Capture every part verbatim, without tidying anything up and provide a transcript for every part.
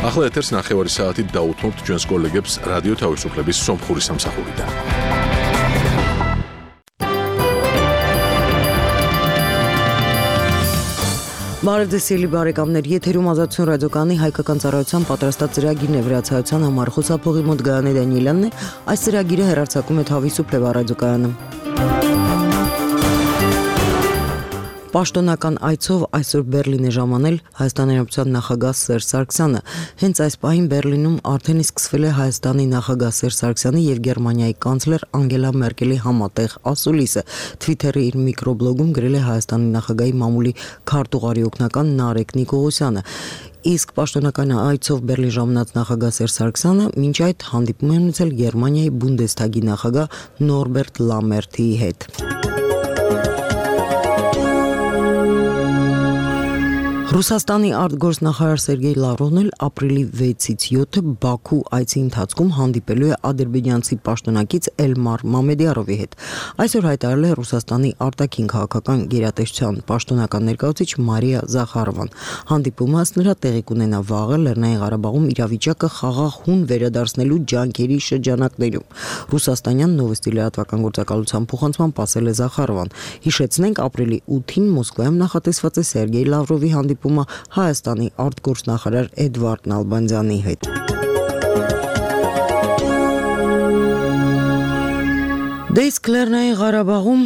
ახლა ეთერს ნახევარი საათით დაუთმობთ ჩვენს კოლეგებს რადიო თავისუფლების სომხური სამსახურიდან. Բարևձեզ բարեկամներ, եթերում ազատություն ռադիոկայանի հայկական ծառայության պատրաստած ծրագիրն է վրացայության համար խոսափողի մոտ Գայանե Դանիելյանն է, այս ծրագիրը հեռարձակում է Თავისუფლება ռադիոկայանը։ Պաշտոնական այցով այսօր Բերլին է ժամանել Հայաստանի Հանրապետության նախագահ Սերժ Սարգսյանը։ Հենց այս պահին Բերլինում արդեն իսկ սկսվել է Հայաստանի նախագահ Սերժ Սարգսյանի եւ Գերմանիայի կանցլեր Անգելա Մերկելի համատեղ ասուլիսը։ Թվիթերի իր միկրոբլոգում գրել է Հայաստանի նախագահի մամուլի քարտուղարի օգնական Նարեկ Նիկողոսյանը։ Իսկ պաշտոնական այցով Բերլին ժամանած նախագահ Սերժ Սարգսյանը մինչ այդ հանդիպում է ունեցել Գերմանիայի Բունդեսթագի նախագահ Նորբերտ Լամերթիի հետ։ Ռուսաստանի արտգործնախարար Սերգեյ Լավրովն էլ ապրիլի վեցից յոթը Բաքու այցի ընթացքում հանդիպելու է ադրբեջանցի պաշտոնակից Էլմար Մամեդյարովի հետ։ Այսօր հայտարարել է Ռուսաստանի արտաքին քաղաքական գերատեսչության պաշտոնական ներկայացուցիչ Մարիա Զախարովան։ Հանդիպումը ըստ նրա տեղի կունենա վաղը Լեռնային Ղարաբաղում իրավիճակը խաղաղ վերադարձնելու ջանքերի շրջանակներում։ Ռուսաստանյան Նովոստի լրատվական գործակալության փոխանցման ասել է Զախարովան։ Հիշեցնենք, ապրիլի ութին Մոսկվայում նախատեսված է Սերգեյ Լավրովի հանդիպումը Հայաստանի արտգործնախարար Էդվարդ Նալբանդյանի հետ։ Դե իսկ Լեռնային Ղարաբաղում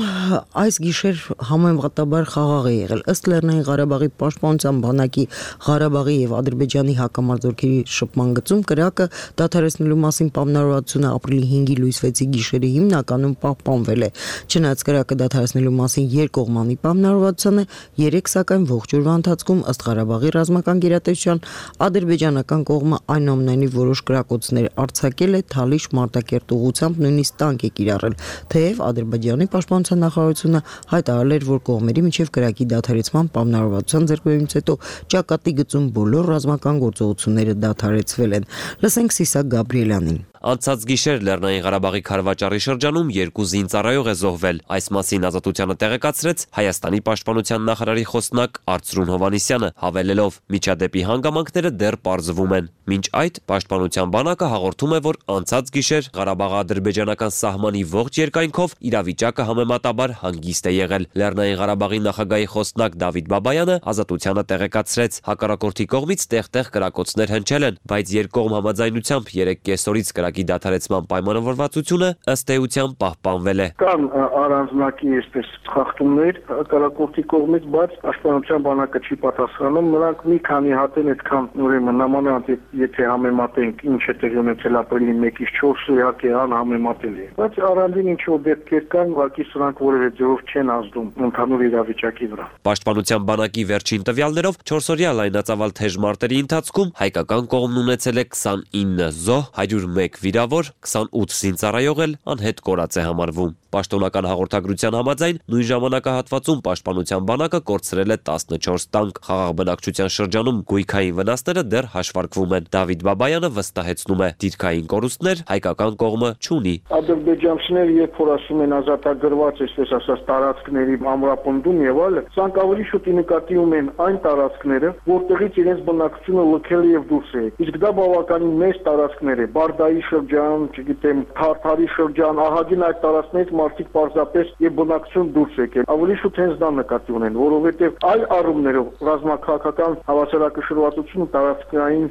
այս գիշեր համեմատաբար խաղաղ է եղել։ Ըստ Լեռնային Ղարաբաղի պաշտպանության բանակի Ղարաբաղի եւ Ադրբեջանի հակամարտությունների շփման գծում կրակը դադարեցնելու մասին պայմանավորվածությունը ապրիլի հինգի լույս վեցի գիշերը հիմնականում պահպանվել է։ Չնայած կրակը դադարեցնելու մասին երկկողմանի պայմանավորվածությունը երեք սակայն ողջ օրվա ընթացքում ըստ Ղարաբաղի ռազմական գերատեսչության ադրբեջանական կողմը այնուամենայնիվ որոշ կրակոցներ արձակել է Թալիշ Մարտակերտ ուղղությամբ նույնիսկ տանկ է կիրառել։ Թեև Ադրբեջանի պաշտպանության նախարարությունը հայտարարել էր, որ կողմերի միջև կրակի դադարեցման պայմանավորվածության ձեռքբերումից հետո ճակատի գծում բոլոր ռազմական գործողությունները դադարեցվել են։ Լսենք Սիսակ Գաբրիելյանին։ Անցած գիշեր Լեռնային Ղարաբաղի Քարվաճառի շրջանում երկու զինծառայող է զոհվել։ Այս մասին Ազատությանը տեղեկացրեց Հայաստանի պաշտպանության նախարարի խոսնակ Արծրուն Հովհաննիսյանը, հավելելով՝ միջադեպի հանգամանքները դեռ պարզվում են։ Մինչ այդ պաշտպանության բանակը հաղորդում է, որ անցած գիշեր Ղարաբաղ-ադրբեջանական սահմանի ողջ երկայնքով իրավիճակը համեմատաբար հանգիստ է եղել։ Լեռնային Ղարաբաղի նախագահի խոսնակ Դավիթ Բաբայանը Ազատությանը տեղեկացրեց՝ հակառակորդի կողմից տեղ-տեղ կրակոցներ հնչել են, բայց երկկողմ համաձայնությամբ երեք կեսօրից կրակի դադարեցման պայմանավորվածությունը ըստ էության պահպանվել է։ Կան առանձնակի այսպես խախտումներ հակառակորդի կողմից, բայց պաշտպանության բանակը չի պատասխանում։ Նրանք մի քանի հատ են այդքան ուրեմն նամանավանդ եթե համեմատենք ինչ է տեղի ունեցել ապրիլի մեկից չորսը իհարկե անհամեմատելի է։ Բայց առանձին ինչ-որ դեպքեր կան, ուղղակի սրանք որևէ ձևով չեն ազդում ընդհանուր իրավիճակի վրա։ Պաշտպանության բանակի վերջին տվյալներով չորսօրյա լայնածավալ թեժ մարտերի ընթացքում հայկական կողմն ունեցել է քսանինը զոհ, հարյուր մեկ վիրավոր, քսանութ զինծառայող էլ անհետ կորած է համարվում։ Պաշտոնական հաղորդագրության համաձայն նույն ժամանակահատվածում պաշտպանության բանակը կորցրել է տասնչորս տանկ։ Խաղաղ բնակչության շրջանում գույքային վնասները դեռ հաշվարկվում են։ Դավիթ Բաբայանը վստահեցնում է՝ դիրքային կորուստներ հայկական կողմը չունի։ Ադրբեջանցիները երբ որ ասում են ազատագրված, այսպես ասած, տարածքների ամրապնդում եւ այլն, սրանք ավելի շուտ նկատի ունեն այն տարածքները, որտեղից իրենց բնակչությունը լքել է եւ դուրս է։ Իսկ դա բավականին մեծ տարածքներ է։ Բարդայի շրջան, չգիտեմ, Թարթարի շրջան, ահագին այդ տարածքներից մարդիկ պարզապես եւ բնակչություն դուրս եկել։ Ավելի շուտ հենց դա նկատի ունեն, որովհետեւ այլ առումներով ռազմաքաղաքական հավասարակշռվածությունը տարածքային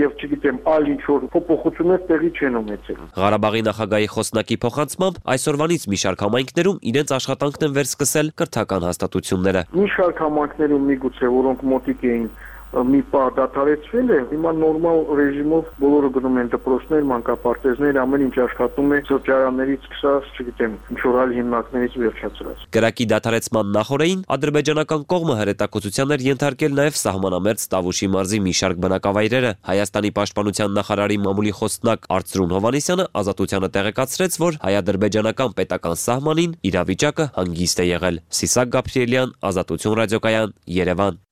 եւ չգիտեմ այլ ինչ-որ փոփոխություններ տեղի չեն ունեցել։ Ղարաբաղի նախագահի խոսնակի փոխանցմամբ այսօրվանից մի շարք համայնքներում իրենց աշխատանքն են վերսկսել կրթական հաստատությունները։ Մի շարք համայնքներում միգուցե որոնք մոտիկ էին մի պահ դադարեցվել է, հիմա նորմալ ռեժիմով բոլորը գնում են դպրոցներ, մանկապարտեզներ, ամեն ինչ աշխատում է սրճարաններից սկսած, չգիտեմ, ինչ-որ այլ հիմնարկներից վերջացրած։ Կրակի դադարեցման նախօրեին ադրբեջանական կողմը հրետակոծության էր ենթարկել նաև սահմանամերձ Տավուշի մարզի մի շարք բնակավայրերը։ Հայաստանի պաշտպանության նախարարի մամուլի խոսնակ Արծրուն Հովհաննիսյանը Ազատությանը տեղեկացրեց, որ հայ-ադրբեջանական պետական սահմանին իրավիճակը հանգիստ է եղել։ Սիսակ Գաբրիելյան, Ազատություն ռադիոկայան, Երևան։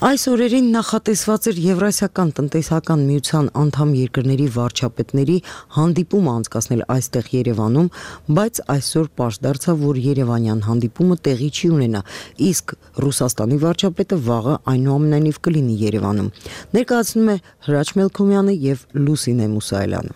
Այս օրերին նախատեսված էր Եվրասիական տնտեսական միության անդամ երկրների վարչապետների հանդիպումը անցկացնել այստեղ Երևանում, բայց այսօր պարզ դարձավ, որ երևանյան հանդիպումը տեղի չի ունենա, իսկ Ռուսաստանի վարչապետը վաղը այնուամենայնիվ կլինի Երևանում։ Ներկայացնում է Հրաչ Մելքոմյանը եւ Լուսինե Մուսայելյանը։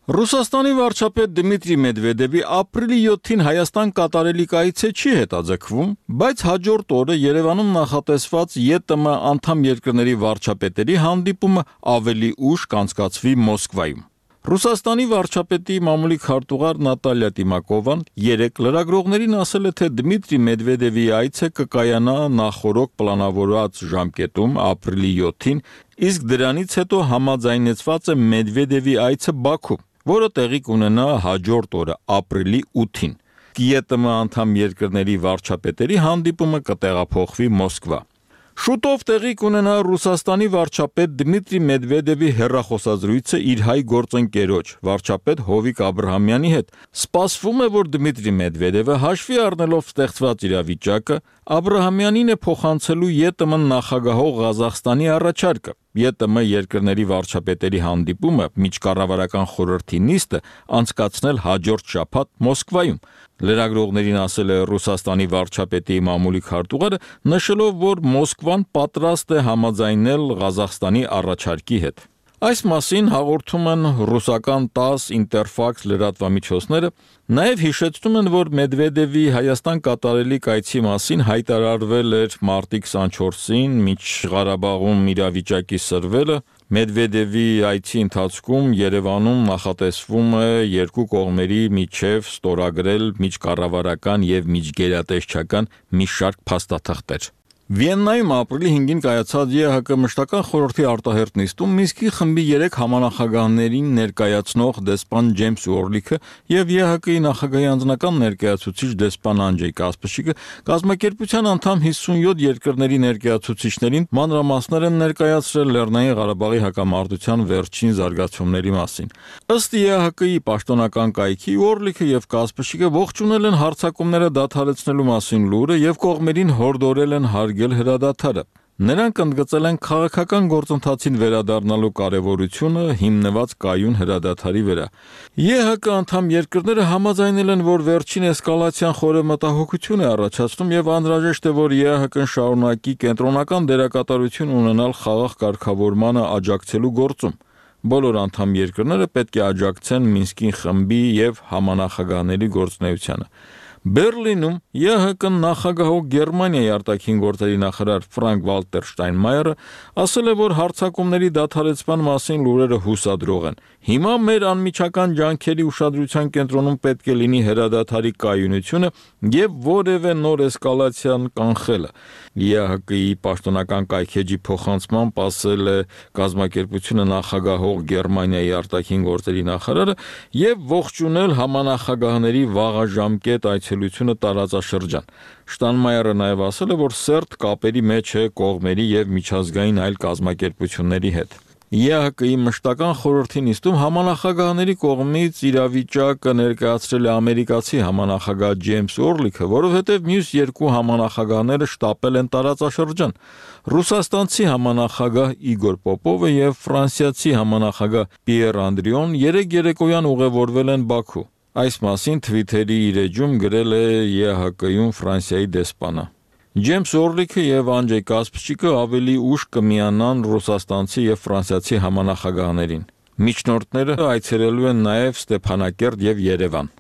Ռուսաստանի վարչապետ Դմիտրի Մեդվեդևի ապրիլի յոթին Հայաստան կատարելիք այցը չի հետաձգվում, բայց հաջորդ օրը Երևանում նախատեսված ԵՏՄ անդամ երկրների վարչապետերի հանդիպումը ավելի ուշ կանցկացվի Մոսկվայում։ Ռուսաստանի վարչապետի մամուլի քարտուղար Նատալիա Տիմակովան երեկ լրագրողներին ասել է, թե Դմիտրի Մեդվեդևի այցը կկայանա նախորոք պլանավորված ժամկետում ապրիլի յոթին, իսկ դրանից հետո համաձայնեցված է Մեդվեդևի այցը Բաքու, որը տեղի կունենա հաջորդ օրը ապրիլի ութին։ ԵՏՄ անդամ երկրների վարչապետերի հանդիպումը կտեղափոխվի Մոսկվա։ Շուտով տեղի կունենա Ռուսաստանի վարչապետ Դմիտրի Մեդվեդևի հեռախոսազրույցը իր հայ գործընկերոջ, վարչապետ Հովիկ Աբրահամյանի հետ։ Սպասվում է, որ Դմիտրի Մեդվեդևը հաշվի առնելով ստեղծված իրավիճակը, Աբրահամյանին է փոխանցելու ԵՏՄ նախագահող Ղազախստանի առաջարկը։ ԵՏՄ երկրների վարչապետերի հանդիպումը միջկառավարական խորհրդի նիստը անցկացնել հաջորդ շաբաթ Մոսկվայում։ Լրագրողներին ասել է Ռուսաստանի վարչապետի մամուլի քարտուղարը, նշելով, որ Մոսկվան պատրաստ է համաձայնել Ղազախստանի առաջարկի հետ։ Այս մասին հաղորդում են ռուսական տաս Ինտերֆաքս լրատվամիջոցները, նաև հիշեցնում են, որ Մեդվեդևի Հայաստան կատարելիք այցի մասին հայտարարվել էր մարտի քսանչորսին Միջղարաբաղում իրավիճակի սրվելը։ Մեդվեդևի այցի ընթացքում Երևանում նախատեսվում է երկու կողմերի միջև ստորագրել միջկառավարական եւ միջգերատեսչական մի շարք փաստաթղթեր։ Վիեննայում ապրիլի հինգին կայացած ԵՀԿ մշտական խորհրդի արտահերթ նիստում Մինսկի խմբի երեք համանախագահներին ներկայացնող դեսպան Ջեյմս Օրլիքը եւ ԵՀԿ-ի նախագահի անձնական ներկայացուցիչ դեսպան Անջեյ Կասպրչիկը կազմակերպության անդամ հիսունյոթ երկրների ներկայացուցիչներին մանրամասներ են ներկայացրել Լեռնային Ղարաբաղի հակամարտության վերջին զարգացումների մասին։ Ըստ ԵՀԿ-ի պաշտոնական կայքի Օրլիքը եւ Կասպրչիկը ողջունել են հարձակումները դադարեցնելու մասին լուրը եւ կողմերին հորդորել են հրադադարը։ Նրանք ընդգծել են քաղաքական գործընթացին վերադառնալու կարևորությունը հիմնված կայուն հրադադարի վրա։ ԵՀԿ անդամ երկրները համաձայնել են, որ վերջին էսկալացիան խորը մտահոգություն է առաջացնում եւ անհրաժեշտ է, որ ԵՀԿ-ն շարունակի կենտրոնական դերակատարություն ունենալ խաղաղ կարգավորմանը աջակցելու գործում։ Բոլոր անդամ երկրները պետք է աջակցեն Մինսկի խմբի եւ համանախագահների գործունեությանը։ Բերլինում ԵՀԿ նախագահող Գերմանիայի արտաքին գործերի նախարար Ֆրանկ Վալտեր Շտայնմայերը ասել է, որ հարձակումների դադարեցման մասին լուրերը հուսադրող են։ Հիմա մեր անմիջական ջանքերի ուշադրության կենտրոնում պետք է լինի հրադադարի կայունությունը եւ որևէ նոր էսկալացիան կանխելը։ ԵՀԿ-ի պաշտոնական կայքեջի փոխանցմամբ ասել է կազմակերպությունը նախագահող Գերմանիայի արտաքին գործերի նախարարը եւ ողջունել համանախագահների վաղաժամկետ այցելությունը տարածաշրջան։ Շտանմայերը նաև ասել է, որ սերտ կապերի մեջ է կողմերի եւ միջազգային այլ կազմակերպությունների հետ։ ԵՀԿ-ի մշտական խորհրդի նիստում համանախագահների կողմից իրավիճակը ներկայացրել է ամերիկացի համանախագահ Ջեյմս Օրլիքը, որովհետև մյուս երկու համանախագահները շտապել են տարածաշրջան։ Ռուսաստանցի համանախագահ Իգոր Պոպովը եւ ֆրանսիացի համանախագահ Պիեր Անդրիոն երեք երեկոյան ուղևորվել են Բաքու։ Այս մասին Twitter-ի իր էջում գրել է ԵՀԿ-ում Ֆրանսիայի դեսպանը։ Ջեյմս Օրլիքը եւ Անջեյ Կասպրչիկը ավելի ուշ կմիանան ռուսաստանցի եւ ֆրանսիացի համանախագահներին։ Միջնորդները այցելելու են նաեւ Ստեփանակերտ եւ Երևան։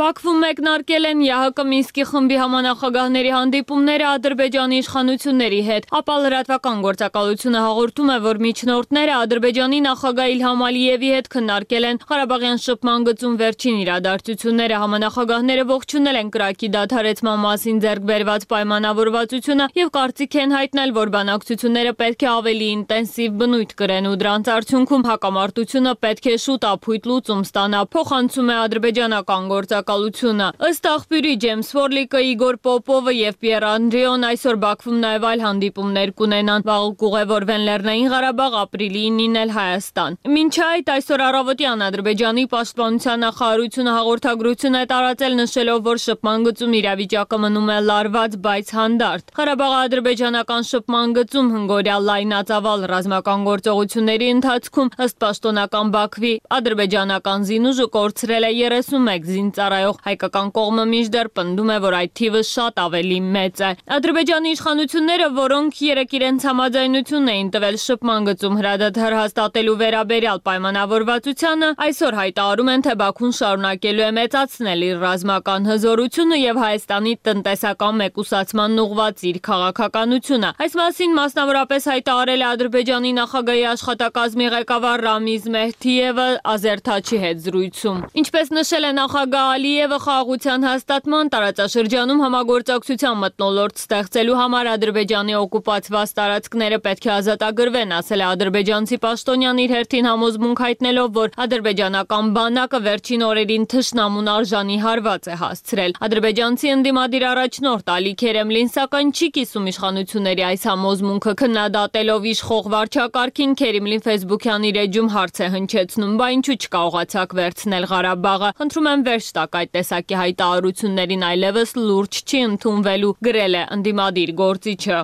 Բաքվում մեկնարկել են ԵՀԿ Մինսկի խմբի համանախագահների հանդիպումները Ադրբեջանի իշխանությունների հետ, ապա լրատվական գործակալությունը հաղորդում է, որ միջնորդները Ադրբեջանի նախագահ Իլհամ Ալիևի հետ քննարկել են Ղարաբաղյան շփման գծում վերջին իրադարձությունները, համանախագահները ողջունել են կրակի դադարեցման մասին ձեռք բերված պայմանավորվածությունը եւ կարծիք են հայտնել, որ բանակցությունները պետք է ավելի ինտենսիվ բնույթ կրեն ու դրանց արդյունքում հակամարտությունը պետք է շուտ ապույտ լուծում ստանա, փոխանցում է ադրբեջանական գործակալությունը։ գործակալությունը։ Ըստ աղբյուրի Ջեյմս Ֆորլիկը, Իգոր Պոպովը եւ Պիեր Անդրեոն այսօր Բաքվում նաեւ այլ հանդիպումներ կունենան։ Վաղը կուղևորվեն Լեռնային Ղարաբաղ, ապրիլի ինին էլ Հայաստան։ Մինչ այդ այսօր առավոտյան Ադրբեջանի պաշտպանության նախարարությունը հաղորդագրություն է տարածել, նշելով, որ շփման գծում իրավիճակը մնում է լարված, բայց հանդարտ։ Ղարաբաղի ադրբեջանական շփման գծում հնգօրյա լայնածավալ ռազմական գործողությունների ընթացքում ըստ պաշտոնական Բաքվի ադրբեջանական զինուժը կորցրել է երեսունմեկ զինծառայող, հայկական կողմը մինչդեռ պնդում է, որ այդ թիվը շատ ավելի մեծ է։ Ադրբեջանի իշխանությունները, որոնք երեկ իրենց համաձայնությունն էին տվել շփման գծում հրադադար հաստատելու վերաբերյալ պայմանավորվածությանը, այսօր հայտարարում են, թե Բաքուն շարունակելու է մեծացնել իր ռազմական հզորությունը եւ Հայաստանի տնտեսական մեկուսացմանն ուղղված իր քաղաքականությունը։ Այս մասին մասնավորապես հայտարարել է Ադրբեջանի նախագահի աշխատակազմի ղեկավար Ռամիզ Մեհդիևը Ազերթաչի հետ զրույցում։ Ինչպես նշել է նախագահ Ալիևը, խաղաղության հաստատման տարածաշրջանում համագործակցության մթնոլորտ ստեղծելու համար Ադրբեջանի օկուպացված տարածքները պետք է ազատագրվեն, ասել է ադրբեջանցի պաշտոնյան իր հերթին համոզմունք հայտնելով, որ ադրբեջանական բանակը վերջին օրերին թշնամուն արժանի հարված է հասցրել։ Ադրբեջանցի ընդդիմադիր առաջնորդ Ալի Քերեմլին սակայն չի կիսում իշխանությունների այս համոզմունքը, քննադատելով իշխող վարչակարգին, Քերեմլին Facebook-յան իր էջում հարց է հնչեցնում, բա ինչու չկարողացաք վերցնել Ղարաբաղը։ Խնդրում եմ վերջ տաք այդ տեսակի հայտարարություններին, այլևս լուրջ չի ընդունվելու, գրել է ընդդիմադիր գործիչը։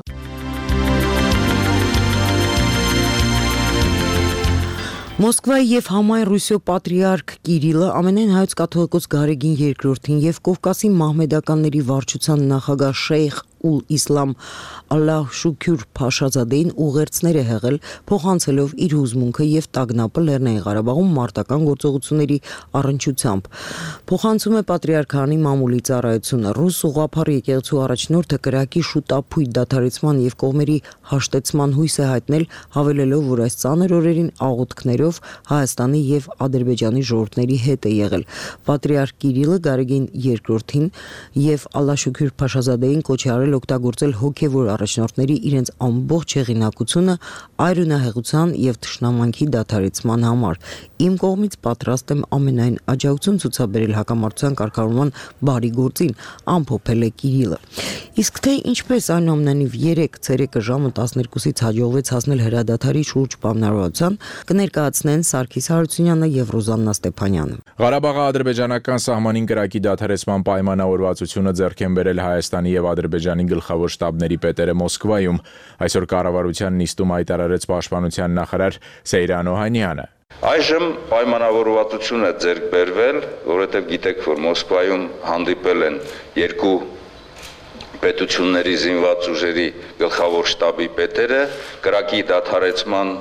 Մոսկվայի եւ Համայն Ռուսիո պատրիարք Կիրիլը ամենայն հայոց կաթողիկոս Գարեգին երկրորդին եւ Կովկասի մահմեդականների վարչության նախագահ Շեյխ Ուլ Իսլամ Ալլահ Շուքյուր Փաշազադեին ուղերձներ է հղել, փոխանցելով իր հուզմունքը եւ տագնապը Լեռնային Ղարաբաղում մարտական գործողությունների առնչությամբ։ Փոխանցում է պատրիարքանի մամուլի ծառայությունը։ Ռուս ուղղափառ եկեղեցու առաջնորդը կրակի շուտափույթ դադարեցման եւ կողմերի հաշտեցման հույս է հայտնել, հավելելով, որ այս ծանր օրերին աղոթքներով Հայաստանի եւ Ադրբեջանի ժողովուրդների հետ է եղել։ Պատրիարք Կիրիլը Գարեգին երկրորդին եւ Ալլահ Շուքյուր Փաշազադեին կոչ է արել օգտագործել հոգևոր առաջնորդների իրենց ամբողջ հեղինակությունը այրունահեղության եւ թշնամանքի դադարեցման համար։ Իմ կողմից պատրաստ եմ ամենայն աջակցություն ցուցաբերել հակամարտության կարգավորման բարի գործին, ամփոփել է Կիրիլը։ Իսկ թե ինչպես այնուամենայնիվ երեկ ցերեկը ժամը տասներկուսից հաջողվեց հասնել հրադադարի շուրջ պայմանավորվածության, կներկայացնեն Սարգիս Հարությունյանը եւ Ռոզաննա Ստեփանյանը։ Ղարաբաղի ադրբեջանական սահմանին կրակի դադարեցման պայմանավորվածությունը ձեռք են բերել Հայաստանի եւ Ադրբեջանի գլխավոր շտաբների պետերը Մոսկվայում։ Այսօր կառավարության նիստում հայտարարեց պաշտպանության նախարար Սեյրան Օհանյանը։ Այժմ պայմանավորվածություն է ձեռք բերվել, որովհետև գիտեք, որ Մոսկվայում հանդիպել են երկու պետությունների զինված ուժերի գլխավոր շտաբի պետերը կրակի դադարեցման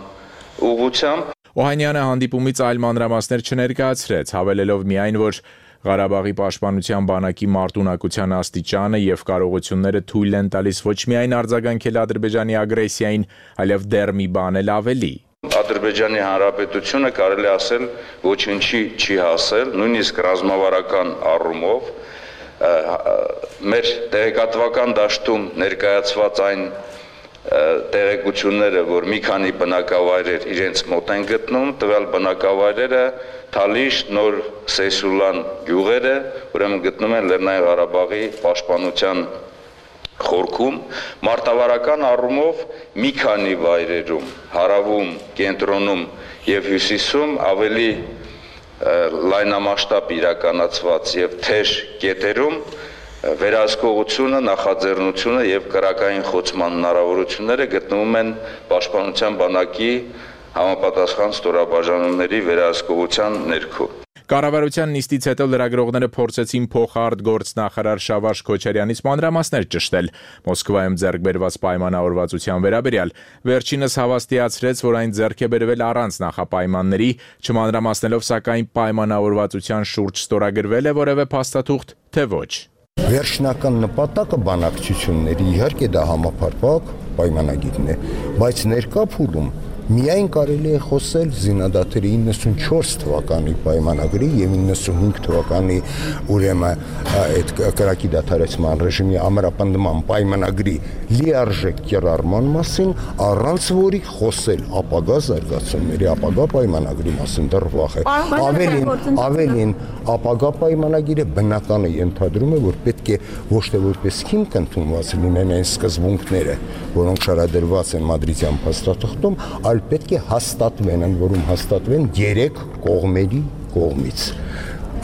ուղղությամբ։ Օհանյանը հանդիպումից այլ մանրամասներ չներկայացրեց, հավելելով միայն, որ Ղարաբաղի պաշտպանության բանակի մարտունակության աստիճանը եւ կարողությունները թույլ են տալիս ոչ միայն արձագանքել Ադրբեջանի ագրեսիային, այլև դեռ մի բան էլ ավելի։ Ադրբեջանի Հանրապետությունը կարելի ասել ոչինչի չի հասել, նույնիսկ ռազմավարական առումով մեր տեղեկատվական դաշտում ներկայացված այն տեղեկությունները, որ մի քանի բնակավայրեր իրենց մոտ են գտնում, տվյալ բնակավայրերը Թալիշ, Նոր Սեյսուլան գյուղերը, ուրեմն գտնում են Լեռնային Ղարաբաղի պաշտպանության խորքում, մարտավարական առումով մի քանի վայրերում, հարավում, կենտրոնում եւ հյուսիսում ավելի լայնամասշտաբ իրականացված եւ թեժ կետերում վերահսկողությունը, նախաձեռնությունը եւ կրակային խոցման հնարավորությունները գտնվում են պաշտպանության բանակի համապատասխան ստորաբաժանումների վերահսկողության ներքո։ Կառավարության նիստից հետո լրագրողները փորձեցին փոխարդ գործնախարար Շավարժ Քոչարյանից մանրամասներ ճշտել Մոսկվայում ձեռք բերված պայմանավորվածության վերաբերյալ։ Վերջինս հավաստիացրեց, որ այն ձեռք է բերվել առանց նախապայմանների, չմանրամասնելով սակայն պայմանավորվածության շուրջ ստորագրվել է որևէ փաստաթուղթ, թե ոչ։ Վերջնական նպատակը բանակցությունների իհարկե դա համապարփակ պայմանագիրն է, բայց ներկա փուլում Միայն կարելի է խոսել զինադատարի իննսունչորս թվականի պայմանագրի եւ իննսունհինգ թվականի ուրեմն այդ կրակի դադարեցման ռեժիմի ամրապնդման պայմանագրի լիարժեք կիրառման մասին, առանց որի խոսել ապագա զարգացումների, ապագա պայմանագրի մասին դեռ վաղ է։ Ավելին, ավելին ապագա պայմանագիրը բնական է ենթադրում է, որ պետք է ոչ թե որպես հիմք ընդունված լինեն այն սկզբունքները, որոնք շարադրված են Մադրիդյան փաստաթղթում, այլ պետք է հաստատվեն, ընդ որում հաստատվեն երեք կողմերի կողմից։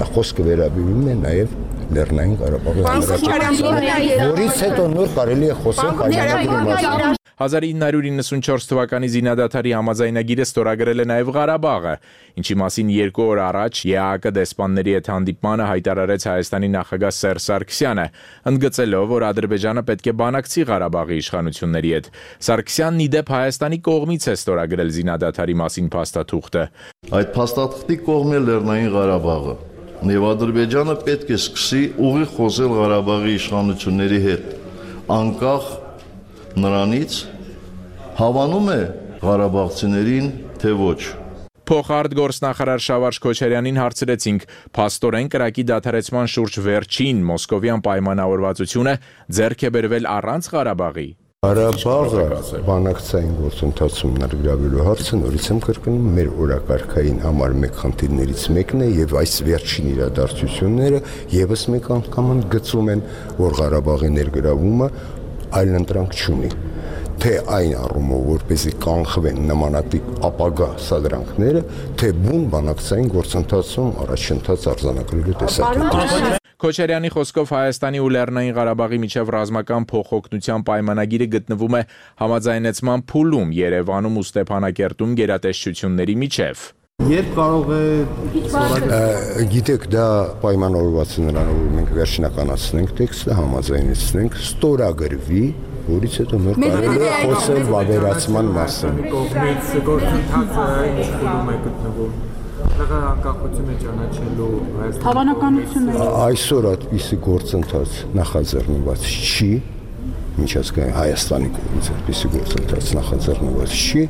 Խոսքը վերաբերում է նաև Լեռնային Ղարաբաղի Հանրապետության, որից հետո նոր կարելի է խոսել պայմանագրի մասին։ հազար ինը հարյուր իննսունչորս թվականի զինադատարի համաձայնագիրը ստորագրել է նաև Ղարաբաղը, ինչի մասին երկու օր առաջ ԵԱՀԿ դեսպանների հետ հանդիպմանը հայտարարեց Հայաստանի նախագահ Սերժ Սարգսյանը, ընդգծելով, որ Ադրբեջանը պետք է բանակցի Ղարաբաղի իշխանությունների հետ։ Սարգսյանն ի դեպ Հայաստանի կողմից է ստորագրել զինադատարի մասին փաստաթուղթը։ Այդ փաստաթղթի կողմ է Լեռնային Ղարաբաղը, եւ Ադրբեջանը պետք է սկսի ուղիղ խոսել Ղարաբաղի իշխանությունների հետ, անկախ նրանից հավանում է ղարաբաղցիներին, թե ոչ։ Փոխարդ գործնախարար Շավարժ Քոչարյանին հարցրեցինք, փաստորեն կրակի դադարեցման շուրջ վերջին մոսկովյան պայմանավորվածությունը ձեռք է բերվել առանց Ղարաբաղի։ Ղարաբաղը բանակցային գործընթացում ներգրավելու հարցը նորից եմ կրկնում մեր օրակարգային համար մեկ խնդիրներից մեկն է եւ այս վերջին իրադարձությունները եւս մեկ անգամ ընդգծում են, որ Ղարաբաղի ներգրավումը այլընտրանք չունի, թե այն առումով, որպեսզի կանխվեն նմանատիպ ապագա սադրանքները, թե բուն բանակցային գործընթացում առաջընթաց արձանագրելու տեսակետից։ Քոչարյանի խոսքով Հայաստանի ու Լեռնային Ղարաբաղի միջև ռազմական փոխօգնության պայմանագիրը գտնվում է համաձայնեցման փուլում Երևանում ու Ստեփանակերտում գերատեսչությունների միջև։ Երբ կարող է գիտեք, դա պայմանավորված է նրանով, որ մենք վերջնականացնենք տեքստը, համաձայնեցնենք, ստորագրվի, որից հետո նոր կարելի է խոսել վավերացման մասին։ Կողմից գործընթացը ինչ փուլում է գտնվում։ Տեղը անկախությունը ճանաչելու հավանականությունները։ Այսօր այդպիսի գործընթաց նախաձեռնված չի, միջազգային Հայաստանի կողմից այդպիսի գործընթաց նախաձեռնված չի,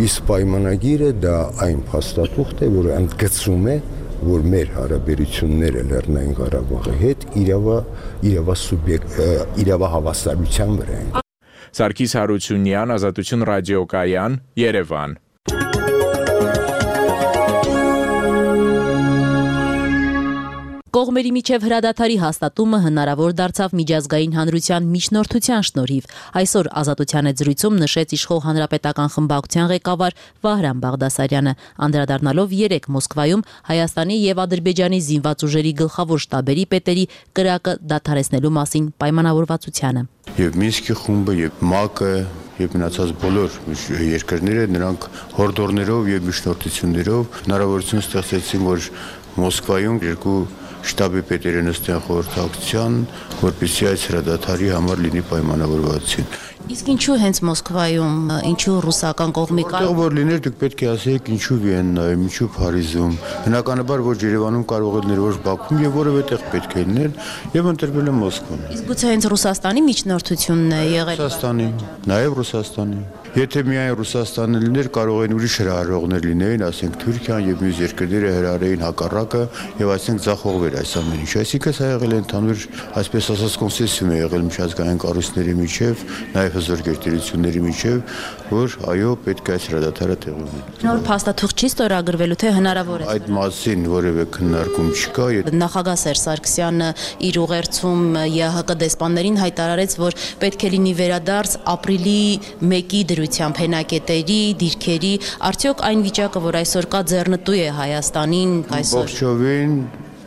իսկ պայմանագիրը դա այն փաստաթուղթ է, որը ընդգծում է, որ մեր հարաբերությունները Լեռնային Ղարաբաղի հետ իրավա իրավա սուբյեկտ իրավահավասարության վրա են։ Սարգիս Հարությունյան, Ազատություն ռադիոկայան, Երևան։ Կողմերի միջև հրադադարի հաստատումը հնարավոր դարձավ միջազգային հանրության միջնորդության շնորհիվ։ Այսօր Ազատության հետ զրույցում նշեց իշխող հանրապետական խմբակցության ղեկավար Վահրամ Բաղդասարյանը, անդրադառնալով երեկ Մոսկվայում Հայաստանի եւ Ադրբեջանի զինված ուժերի գլխավոր շտաբերի պետերի կրակը դադարեցնելու մասին պայմանավորվածությանը։ Եվ Մինսկի խումբը, եւ ՄԱԿ-ը, եւ մնացած բոլոր երկրները նրանք հորդորներով եւ միջնորդություններով հնարավորություն ստեղծեցին, որ Մոսկվայում երկու շտաբի պետերը նստեն խորհրդակցության, որպեսզի այս հրադադարի համար լինի պայմանավորվածություն։ Իսկ ինչու հենց Մոսկվայում, ինչու ռուսական կողմի կա։ Որտեղ որ լիներ, դուք պետք է ասեիք ինչու Վիեննայում, ինչու Փարիզում։ Բնականաբար որ Երևանում կարող է լինել, որ Բաքվում եւ որևէ տեղ պետք է լինել եւ ընտրվել է Մոսկվան։ Իսկ գուցե հենց Ռուսաստանի միջնորդությունն է եղել։ Ռուսաստանի, նաեւ Ռուսաստանի։ Եթե միայն Ռուսաստանը լիներ, կարող են ուրիշ հրահարողներ լինեին, ասենք Թուրքիան եւ մյուս երկրները հրահարեին հակառակը եւ այսինքն ձախողվեր այս ամեն ինչ։ Այսինքն սա եղել է ընդհանուր, այսպես ասած, կոնսենսուս է եղել միջազգային կառույցների միջև, նաեւ հզոր գերտերությունների միջև, որ այո, պետք է այս հրադադարը տեղի ունենա։ Նոր փաստաթուղթ չի ստորագրվելու, թե հնարավոր է։ Այդ մասին որևէ քննարկում չկա։ Նախագահ Սերժ Սարգսյանը իր ուղերձում ԵԱՀԿ դեսպաններին հայտարարեց, որ պետք է լինի վերադարձ ապրիլի մեկի դրությամբ հենակետերի, դիրքերի, արդյոք այն վիճակը, որ այսօր կա, ձեռնտու է Հայաստանին այսօր։ Ողջովին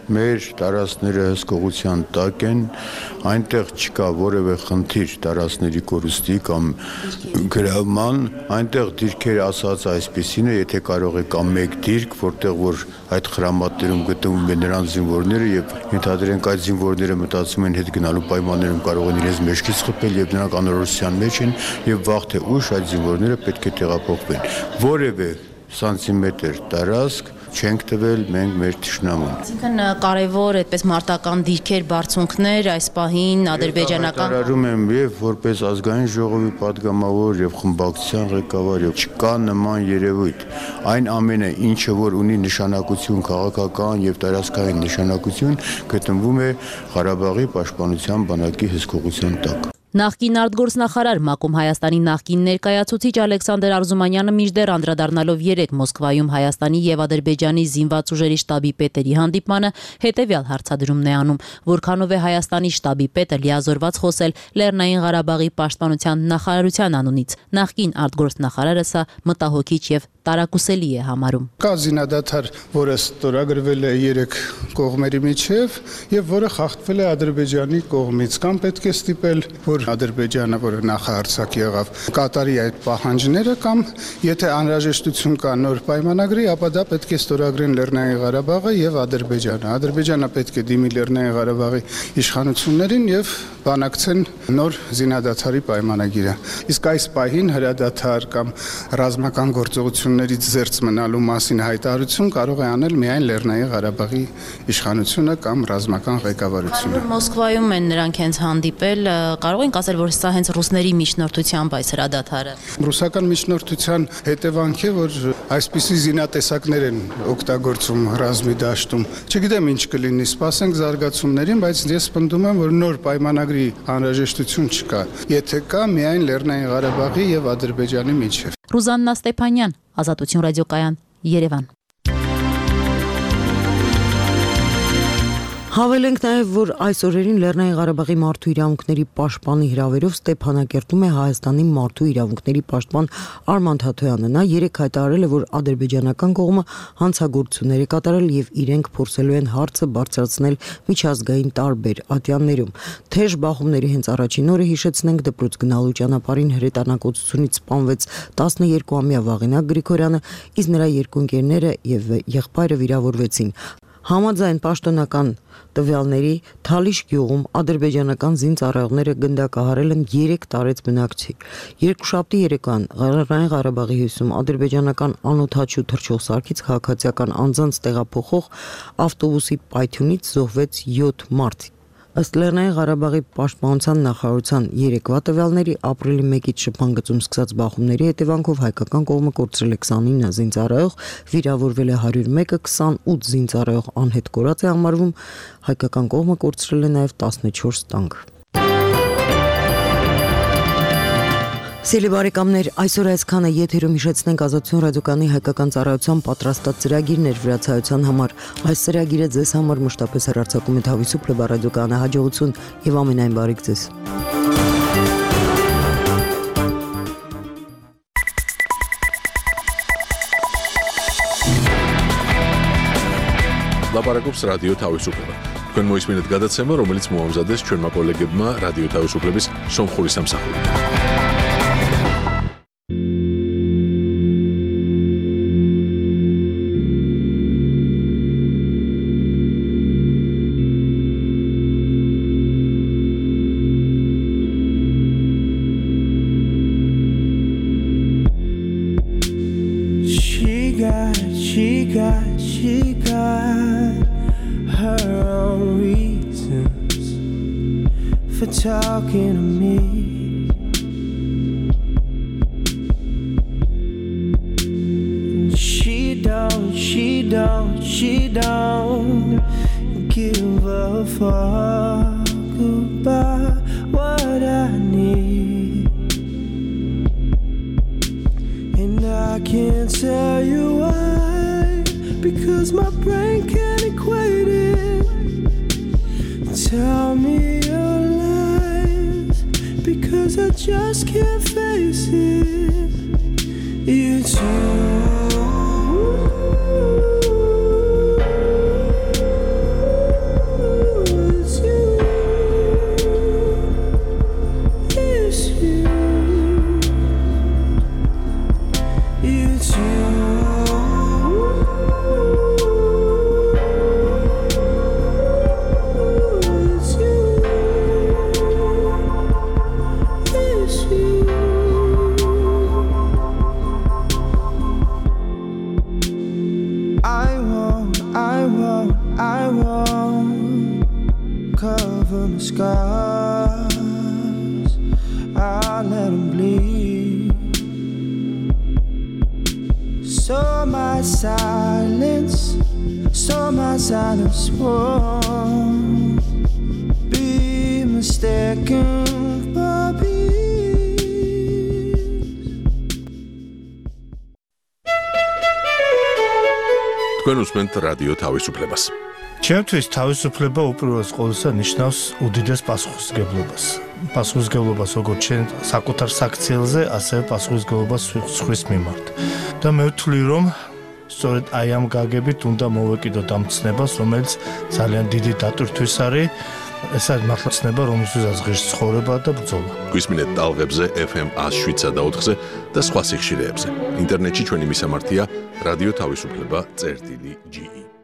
մեր տարածքները հսկողության տակ են, այնտեղ չկա որևէ խնդիր տարածքների կորուստի կամ գրավման, այնտեղ դիրքեր ասած այսպեսին է, եթե կարող է կամ մեկ դիրք, որտեղ որ այդ խրամատներում գտնվում են նրանց զինվորները եւ ենթադրենք այդ զինվորները մտածում են հետ գնալու պայմաններում կարող են իրենց մեջքից խփել եւ նրանք անորոշության մեջ են եւ վաղ թե ուշ այդ զինվորները պետք է տեղափոխվեն։ Որևէ սանտիմետր տարածք չենք տվել մենք մեր թշնամուն։ Այսինքն կարևոր այդպես մարտական դիրքեր, բարձունքներ այս պահին ադրբեջանական Հայտարարում եմ եւ որպես ազգային ժողովի падգամավոր եւ խմբակցության ղեկավար եւ չկա նման երևույթ։ Այն ամենը, ինչը որ ունի նշանակություն քաղաքական եւ տարածքային նշանակություն, գտնվում է Ղարաբաղի պաշտպանության բանակի հսկողության տակ։ Նախկին արտգործնախարար ՄԱԿ-ում Հայաստանի նախկին ներկայացուցիչ Ալեքսանդր Արզումանյանը մինչդեռ անդրադառնալով երեկ Մոսկվայում Հայաստանի եւ Ադրբեջանի զինված ուժերի շտաբի պետերի հանդիպմանը հետեւյալ հարցադրումն է անում. որքանով է Հայաստանի շտաբի պետը լիազորված խոսել Լեռնային Ղարաբաղի պաշտպանության նախարարության անունից։ Նախկին արտգործնախարարը սա մտահոգիչ եւ տարակուսելի է համարում։ Կա զինադադար, որը ստորագրվել է երեք կողմերի միջև եւ որը խախտվել է Ադրբեջանի կողմից, կամ պետք է ստիպել, որ Ադրբեջանը, որը նախահարձակ եղավ, կատարի այդ պահանջները, կամ եթե անհրաժեշտություն կա նոր պայմանագրի, ապա դա պետք է ստորագրեն Լեռնային Ղարաբաղը եւ Ադրբեջանը։ Ադրբեջանը պետք է դիմի Լեռնային Ղարաբաղի իշխանություններին եւ բանակցեն նոր զինադադարի պայմանագիրը։ Իսկ այս պահին հրադադար կամ ռազմական գործողություններից զերծ մնալու մասին հայտարարություն կարող է անել միայն Լեռնային Ղարաբաղի իշխանությունը կամ ռազմական ղեկավարությունը։ Մոսկվայում են նրանք հենց հանդիպել, կարող ենք ասել, որ սա հենց ռուսների միջնորդությամբ այս հրադադարը։ Ռուսական միջնորդության հետևանք է, որ այսպիսի զինատեսակներ են օգտագործում ռազմի դաշտում։ Չգիտեմ ինչ կլինի, սպասենք զարգացումներին, բայց ես պնդում եմ, որ նոր պայմանագրի անհրաժեշտություն չկա։ Եթե կա, միայն Լեռնային Ղարաբաղի եւ Ադրբեջանի միջև։ Ռուզաննա Ստեփանյան, Ազատություն ռադիոկայան, Երևան։ Հավելենք նաև, որ այս օրերին Լեռնային Ղարաբաղի մարդու իրավունքների պաշտպանի հրավերով Ստեփանակերտում է Հայաստանի մարդու իրավունքների պաշտպան Արման Թաթոյանը։ Նա երեկ հայտարարել է, որ ադրբեջանական կողմը հանցագործություններ է կատարել եւ իրենք փորձելու են հարցը բարձրացնել միջազգային տարբեր ատյաններում։ Թեժ բախումների հենց առաջին օրը հիշեցնենք դպրոց գնալու ճանապարհին հրետանակոծությունից սպանվեց տասներկուամյա Վաղինակ Գրիգորյանը, իսկ նրա երկու ընկերները եւ եղբայրը վիրավորվեցին։ Համաձայն պաշտոնական տվյալների Թալիշ գյուղում ադրբեջանական զինծառայողները գնդակահարել են երեք տարեց բնակչի։ Երկուշաբթի երեկոյան Լեռնային Ղարաբաղի հյուսում ադրբեջանական անօդաչու թռչող սարքից քաղաքացիական անձանց տեղափոխող ավտոբուսի պայթյունից զոհվեց յոթ մարդ։ Ըստ Լեռնային Ղարաբաղի պաշտպանության նախարարության երեկվա տվյալների ապրիլի մեկից շփման սկսած բախումների հետևանքով հայկական կողմը կորցրել է քսանինը զինծառայող, վիրավորվել է հարյուր մեկը, քսանութ զինծառայող անհետ կորած է համարվում, հայկական կողմը կորցրել է նաև տասնչորս տանկ։ Սիրելի բարեկամներ, այսօր այսքանը եթերում հիշեցնենք Ազատություն ռադիոկայանի հայկական ծառայության պատրաստած ծրագիրներ վրացայության համար։ Այս ծրագիրը ձեզ համար մշտապես հեռարձակում է Թավիսուփլե ռադիոկայանը, հաջողություն եւ ամենայն բարիք ձեզ։ Լապարակոպս ռադիո Թավիսուփլե։ Քան մոյս մինուտ գադացեմը, რომელიც մոամզադես չորմա կոլեգեբմա ռադիո Թավիսուփլեբիս Սոմխուրի Սամսախուրի։ Talking to me, she don't, she don't, she don't give a fuck about what I need, and I can't tell you why, because my brain can't equate it. Tell me your lies, because I just can't face it. It's you. from the scars. I let them bleed. So my silence, so my silence won't be mistaken for peace. Თქვენ უსმენთ რადიო თავისუფლებას. ჩემთვის თავისუფლება უპირველეს ყოვლისა ნიშნავს უდიდეს პასუხისმგებლობას. Պասխուզգებლობას როგორც ჩვენ საკუთარ საქციელზე, ასევე პასუხისგებლობას სხვის მიმართ. და მე ვთვლი, რომ სწორედ აი ამ გაგებით უნდა მოვეკიდოთ ამ ცნებას, რომელიც ძალიან დიდი დატვირთვის არის. ეს არის მართლა ცნება, რომელსაც ღირს ცხოვრება და ბრძოლა. გვისმინეთ ტალღებზე ეფ ემ one oh seven point four-ზე და სხვა სიხშირეებზე. ინტერნეტში ჩვენი მისამართია რადიო თავისუფლება წერტილი ჯი ი.